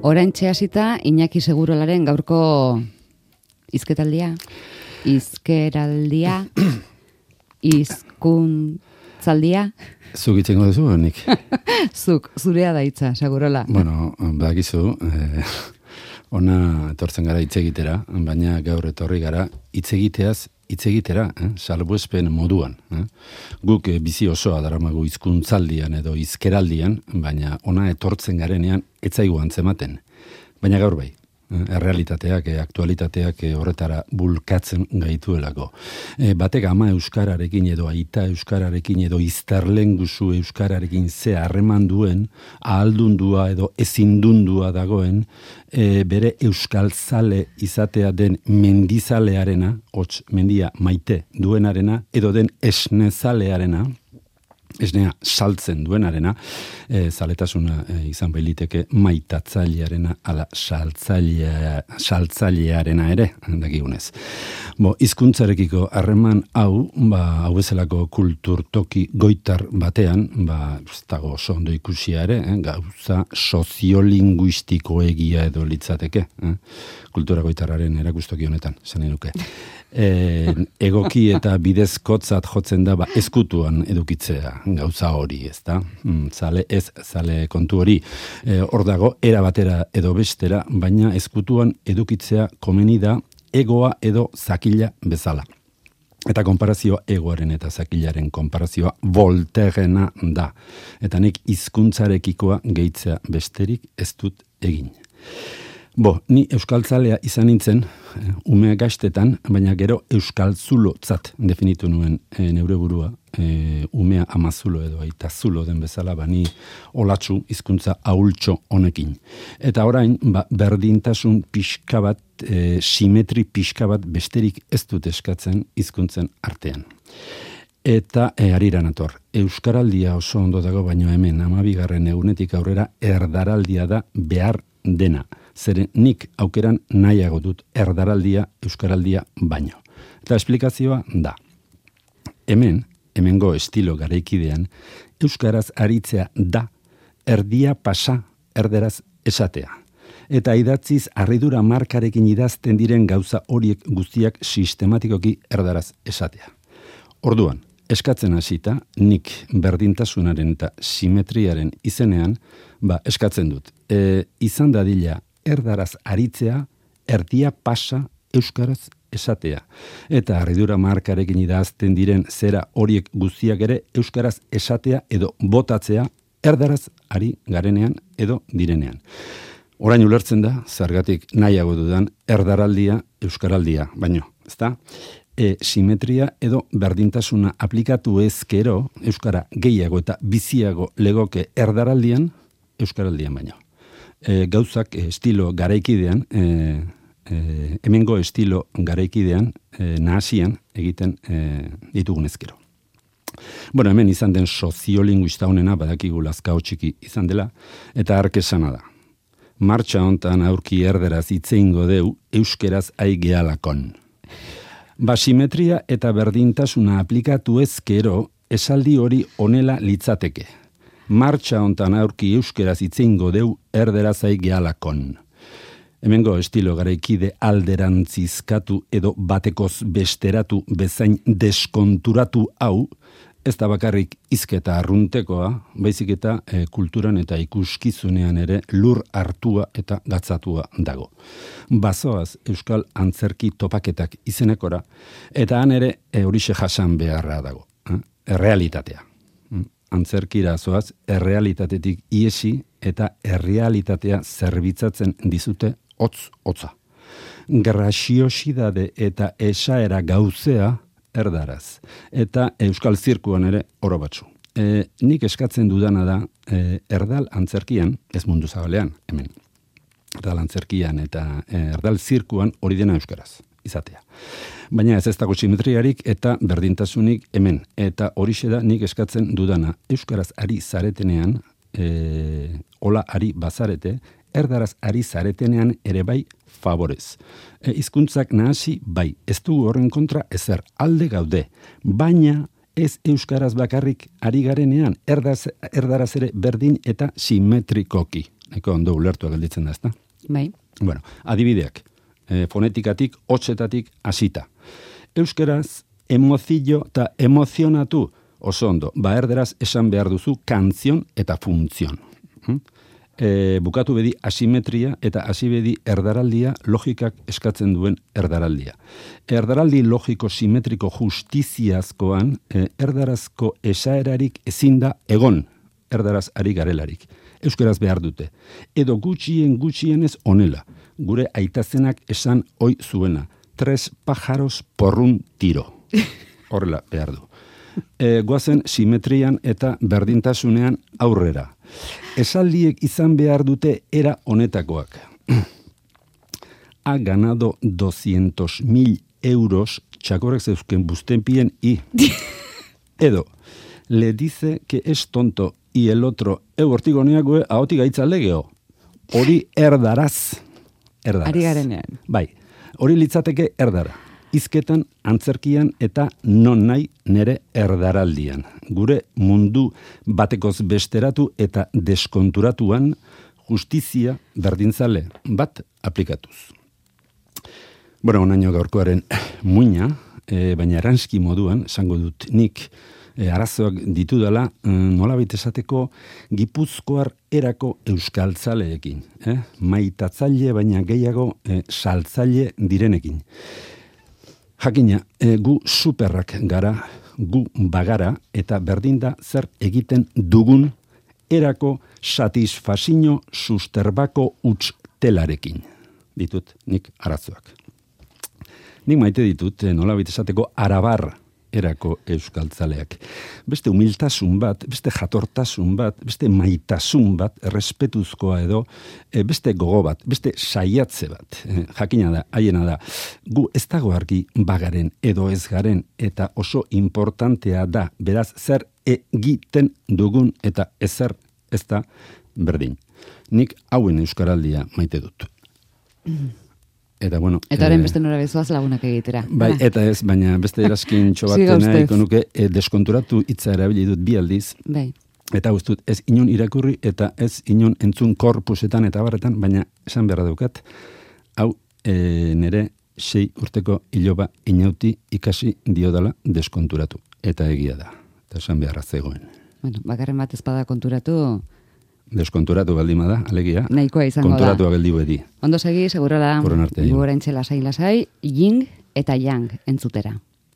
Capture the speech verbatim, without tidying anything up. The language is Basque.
Oraintxe hasita Iñaki Segurolaren gaurko hizketaldia, hizkeraldia, hizkuntzaldia. Zuk itzengo duzu, nik? Zuk, zurea da hitza, Segurola. Bueno, badakizu, eh, ona etortzen gara hitz egitera, baina gaur etorri gara hitz egiteaz hitz egitera, eh? Salbuespen moduan. Eh? Guk eh, bizi osoa daramagu hizkuntzaldian edo hizkeraldian, baina ona etortzen garenean ez zaigu antzematen. Baina gaur bai, eh? errealitateak, eh, aktualitateak eh, horretara bulkatzen gaituelako. Eh, batek ama euskararekin edo aita euskararekin edo izterlenguzu euskararekin ze harreman duen, ahaldundua edo ezindundua dagoen, E, bere euskaltzale izatea den mendizalearena, hots mendia maite duenarena, edo den esnezalearena, esnea saltzen duenarena, e, zaletasuna e, izan bailiteke maitatzailearena, ala saltzailea, saltzailearena ere, dakigunez. Bo, hizkuntzarekiko harreman hau, ba, hau bezalako kulturtoki goitar batean, ba, ez dago oso ondo ikusia ere, eh, gauza soziolinguistikoegia edo litzateke, eh, kultura goitarraren erakustoki honetan, zen nuke. E, egoki eta bidezkotzat jotzen da, ba, ezkutuan edukitzea gauza hori, ez da? Mm, zale, ez, zale kontu hori e, hor dago, era batera edo bestera, baina ezkutuan edukitzea komeni da egoa edo zakila bezala. Eta konparazioa egoaren eta zakilaren konparazioa Voltairena da. Eta nik hizkuntzarekikoa gehitzea besterik ez dut egin. Bo, ni euskaltzalea izan nintzen, umea gaztetan, baina gero euskaltzulotzat definitu nuen e, neure burua, e, umea amazulo edo aitazulo den bezala, bani olatzu hizkuntza ahultxo honekin. Eta orain, ba, berdintasun pixka bat, e, simetri pixka bat besterik ez dut eskatzen hizkuntzen artean. Eta e, harira nator, euskaraldia oso ondo dago, baino hemen hamabigarren egunetik aurrera erdaraldia da behar dena. Zeren nik aukeran nahiago dut erdaraldia, euskaraldia baino. Eta esplikazioa da. Hemen, hemengo estilo garaikidean, euskaraz aritzea da, erdia pasa erderaz esatea. Eta idatziz harridura markarekin idazten diren gauza horiek guztiak sistematikoki erdaraz esatea. Orduan, eskatzen hasita, nik berdintasunaren eta simetriaren izenean, ba, eskatzen dut. E, izan dadila erdaraz aritzea, erdia pasa euskaraz esatea. Eta harridura markarekin idazten diren zera horiek guztiak ere euskaraz esatea edo botatzea erdaraz ari garenean edo direnean. Orain ulertzen da, zergatik nahiago dudan erdaraldia, euskaraldia, baino, ezta? E, simetria edo berdintasuna aplikatu ezkero, euskara gehiago eta biziago legoke erdaraldian, euskaraldian baino. E, gauzak e, estilo garaikidean, e, e, hemengo estilo garaikidean, e, nahasian egiten e, ditugun ezkero. Bueno, hemen izan den soziolinguista honena badakigu lazkao txiki izan dela, eta hark esana da. Martxa hontan aurki erderaz itzeingo deu, euskeraz aigealakon. Basimetria eta berdintasuna aplikatu ezkero, esaldi hori honela litzateke. Martxa hontan aurki euskeraz itzeingo deu erderaz aigealakon. Hemengo estilo garaikide alderantzizkatu edo batekoz besteratu bezain deskonturatu hau, ez da bakarrik hizketa arruntekoa, baizik eta e, kulturan eta ikuskizunean ere lur hartua eta gatzatua dago. Bazoaz euskal antzerki topaketak izenekora, eta han ere e, horixe jasan beharra dago. Eh? Errealitatea. Antzerkira zoaz, errealitatetik iesi eta errealitatea zerbitzatzen dizute hotz-hotza. Graziosidade eta esaera gauzea erdaraz. Eta euskal zirkuan ere oro batzu. E, nik eskatzen dudana da, e, erdal antzerkian, ez mundu zabalean, hemen. Erdal antzerkian eta e, erdal zirkuan hori dena euskaraz izatea. Baina ez ez dago simetriarik eta berdintasunik hemen. Eta horixe da nik eskatzen dudana. Euskaraz ari zaretenean, e, hola ari bazarete, erdaraz ari zaretenean ere bai favorez. E, hizkuntzak nahasi bai, ez dugu horren kontra ezer alde gaude, baina ez euskaraz bakarrik ari garenean, erdaz, erdaraz ere berdin eta simetrikoki. Eko ondo ulertua gelditzen da, ezta? Bai. Bueno, adibideak, e, fonetikatik, hotzetatik hasita. Euskeraz, emozio eta emozionatu oso ondo. Ba erderaz esan behar duzu kantzion eta funtzion. Hm? E, bukatu bedi asimetria eta hasi bedi erdaraldia logikak eskatzen duen erdaraldia. Erdaraldi logiko simetriko justiziazkoan e, erdarazko esaerarik ezin da egon erdaraz ari garelarik. Euskeraz behar dute. Edo gutxien gutxienez onela. Gure aitazenak esan oi zuena. Tres pájaros por un tiro. Horrela behar du. E, goazen simetrian eta berdintasunean aurrera. Esaldiek izan behar dute era honetakoak. Ha ganado doscientos mil euros txakorrek zeuzken buztenpien i. Edo, le dice que es tonto y el otro, eu hortigoneagoe ahotik gaitza legeo. Hori erdaraz. Erdaraz. Ari garenean. Bai, hori litzateke erdara. Hizketan, antzerkian eta non nahi nere erdaraldian. Gure mundu batekoz besteratu eta deskonturatuan justizia berdintzale bat aplikatuz. Bueno, onaino gaurkoaren muina, e, baina eranski moduan, esango dut nik, e, arazoak ditudala, e, nolabait esateko gipuzkoar erako euskaltzaleekin. Eh? Maitatzaile baina gehiago e, saltzaile direnekin. Jakina, e, gu superrak gara, gu bagara, eta berdinda zer egiten dugun erako satisfazio susterbako utztelarekin. Ditut nik arazoak. Nik maite ditut, nolabait esateko arabar erako euskaltzaleak. Beste humiltasun bat, beste jatortasun bat, beste maitasun bat, errespetuzkoa edo, e, beste gogo bat, beste saiatze bat. E, jakina da, haiena da, gu ez dago argi bagaren edo ez garen, eta oso importantea da, beraz zer egiten dugun eta ezer ez da berdin. Nik hauen euskaraldia maite dut. Eta bueno, eta orain eh, beste nora bezoaz lagunak egitera. Bai, eta ez, baina beste eraskin txobatena ikonuke e, deskonturatu hitza erabili dut bi aldiz. Bai. Eta guztut, ez inon irakurri eta ez inon entzun korpusetan eta barretan, baina esan beharra daukat, hau e, nere sei urteko iloba inauti ikasi diodala deskonturatu. Eta egia da. Eta esan beharra zegoen. Bueno, bakarren bat ezpada konturatu... Deskonturatu baldima da, alegia. Nahikoa izango da. Konturatu geldi bedi. Ondo segi, segurala, Horren arte. gure entzela lasai-lasai, ying eta yang entzutera.